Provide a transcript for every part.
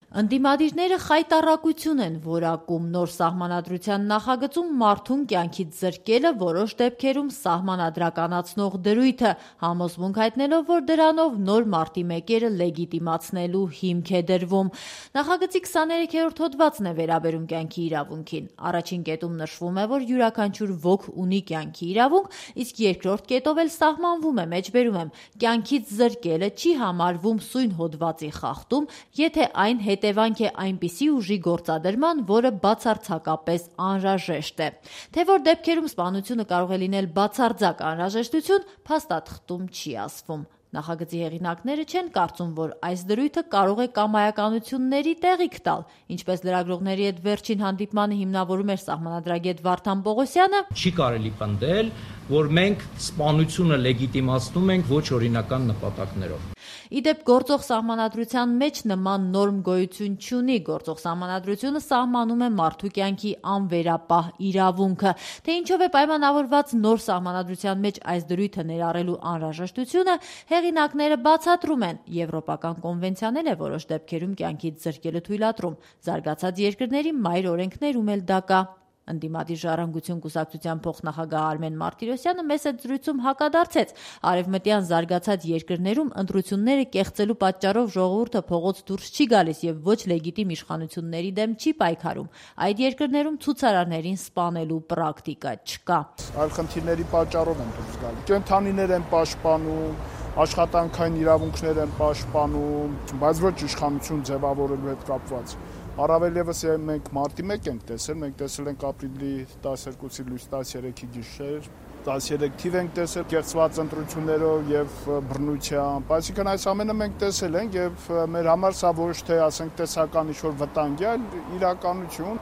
Ընդդիմադիրները խայտառակություն են որակում նոր սահմանադրության նախագծում մարդուն կյանքից զրկելը որոշ դեպքերում սահմանադրականացնող դրույթը, համոզմունք հայտնելով, որ դրանով նոր մարտի մեկերը լեգիտիմացնելու հիմք է դրվում։ Նախագծի 23-րդ հոդվածն է վերաբերում կյանքի իրավունքին։ Առաջին կետում նշվում է, որ յուրաքանչյուր ոք ունի կյանքի իրավունք, իսկ երկրորդ կետով էլ սահմանվում է, մեջբերում եմ, կյանքից զրկելը չի համարվում սույն հոդվածի խախտում, եթե այն հետևանք է այնպիսի ուժի գործադրման, որը բացարձակապես անհրաժեշտ է։ Թե որ դեպքերում սպանությունը կարող է լինել բացարձակ անհրաժեշտություն, փաստաթղթում չի ասվում։ Նախագծի հեղինակները չեն կարծում, որ այս դրույթը կարող է կամայականությունների տեղիք տալ, ինչպես լրագրողների հետ վերջին հանդիպմանը հիմնավորում էր սահմանադրագետ Վարդան Պողոսյանը։ Չի կարելի պնդել, որ մենք սպանությունը լեգիտիմացնում ենք ոչ օրինական նպատակներով։ Իդեպ գործող սահմանադրության մեջ նման նորմ գոյություն չունի։ Գործող սահմանադրությունը սահմանում է մարդու կյանքի անվերապահ իրավունքը։ Թե ինչով է պայմանավորված նոր սահմանադրության մեջ այս դրույթը ներառելու անհրաժեշտությունը, հեղինակները բացատրում են։ Եվրոպական կոնվենցիան է որոշ դեպքերում կյանքից զրկելը թույլատրում։ Զարգացած երկրների մայր օրենքներում էլ դա կա։ Ընդդիմադիր ժառանգություն կուսակցության փոխնախագահ Արմեն Մարտիրոսյանը մեծ այդ զրույցում հակադարձեց։ Արևմտյան զարգացած երկրներում ընտրությունները կեղծելու պատճառով ժողովուրդը փողոց դուրս չի գալիս եւ ոչ լեգիտիմ իշխանությունների դեմ չի պայքարում։ Այդ երկրներում ցուցարարներին սպանելու պրակտիկա չկա։ Այլ խնդիրների պատճառով են դուրս գալիս։ Կենթանիներ են պաշտպանում, աշխատանքային իրավունքներ են պաշտպանում, բայց ոչ իշխանություն ձևավորելու հետ կապված։ Առավել եւս մենք մարտի 1 ենք տեսել, մենք տեսել ենք ապրիլի 12-ի լույս 13-ի գիշեր, 13 թիվ ենք տեսել կեղծված ընտրություններով եւ բռնությամբ, այսինքն այս ամենը մենք տեսել ենք եւ մեր համար սա ոչ թե ասենք տեսական ինչ-որ վտանգ է, այլ իրականություն։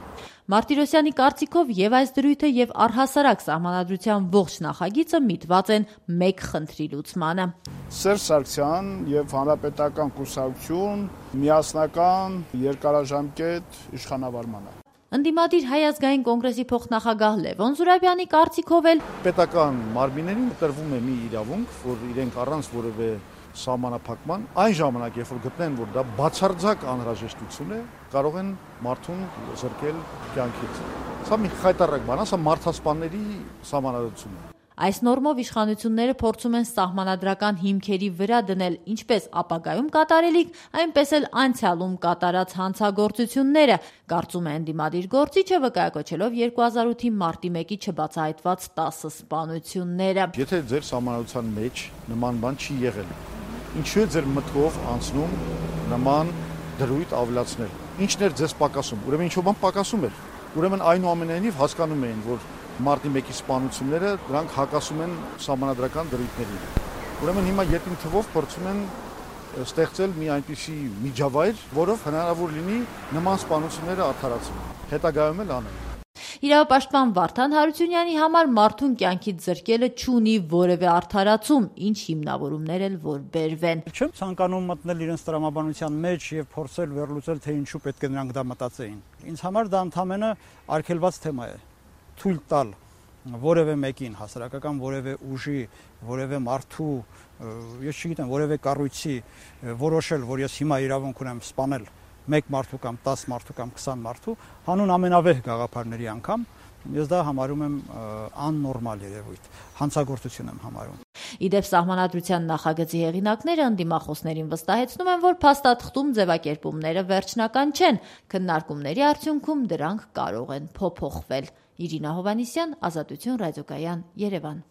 Մարտիրոսյանի կարծիքով եւ այս դրույթը եւ առհասարակ սահմանադրության ողջ նախագիծը միտված են մեկ խնդրի լուծմանը։ Սերժ Սարգսյան եւ Հանրապետական կուսակցություն միասնական երկարաժամկետ իշխանավարմանը։ Ընդդիմադիր Հայ ազգային կոնգրեսի փոխնախագահ Լևոն Զուրաբյանի կարծիքով էլ պետական մարմիններին տրվում է մի իրավունք, որ իրենք առանց որևէ սահմանափակման այն ժամանակ, երբ որ գտնեն, որ դա բացարձակ անհրաժեշտություն է, կարող են մարդուն զրկել կյանքից։ Սա մի խայտառակ բան է, սա մարդասպանների սահմանադրություն է։ Այս նորմով իշխանությունները փորձում են սահմանադրական հիմքերի վրա դնել ինչպես ապագայում կատարելիք, այնպես էլ անցյալում կատարած հանցագործությունները, կարծում է ընդդիմադիր գործիչը, վկայակոչելով 2008-ի մարտի 1-ի չբացահայտված 10 սպանությունները։ Եթե ձեր սահմանադրության մեջ նման բան չի եղել, ինչու է ձեր մտքով անցնում նման դրույթ ավելացնել։ Ինչն էր ձեզ պակասում։ Ուրեմն ինչ-որ բան պակասում էր։ Ուրեմն այնուամենայնիվ հասկանում էին, որ մարտի 1-ի սպանությունները դրանք հակասում են սահմանադրական դրույթներին։ Ուրեմն հիմա յետին թվով փորձում են ստեղծել մի այնպիսի միջավայր, որով հնարավոր լինի նման սպանությունները արդարացնել։ Հետագայում էլ անել։ Իրավապաշտպան Վարդան Հարությունյանի համար մարդուն կյանքից զրկելը չունի որևէ արդարացում, ինչ հիմնավորումներ էլ որ բերվեն։ Չեմ ցանկանում մտնել իրենց տրամաբանության մեջ եւ փորձել վերլուծել, թե ինչու պետք է նրանք դա մտածեին։ Ինձ համար դա ընդհանրապես արգելված թեմա է։ Թույլ տալ որևէ մեկին, հասարակական որևէ ուժի, որևէ մարդու, ես չգիտեմ, որևէ կառույցի որոշել, որ ես հիմա իրավունք ունեմ սպանել 1 մարդու կամ 10 մարդու կամ 20 մարդու, հանուն ամենավեհ գաղափարների անգամ, ես դա համարում եմ աննորմալ երևույթ, հանցագործություն եմ համարում։ Իդեպ սահմանադրության նախագծի հեղինակները ընդդիմախոսներին վստահեցնում են, որ փաստաթղթում ձևակերպումները վերջնական չեն, քննարկումների արդյունքում դրանք կարող են փոփոխվել։ Իրինա Հովհաննիսյան, Ազատություն ռադիոկայան, Երևան։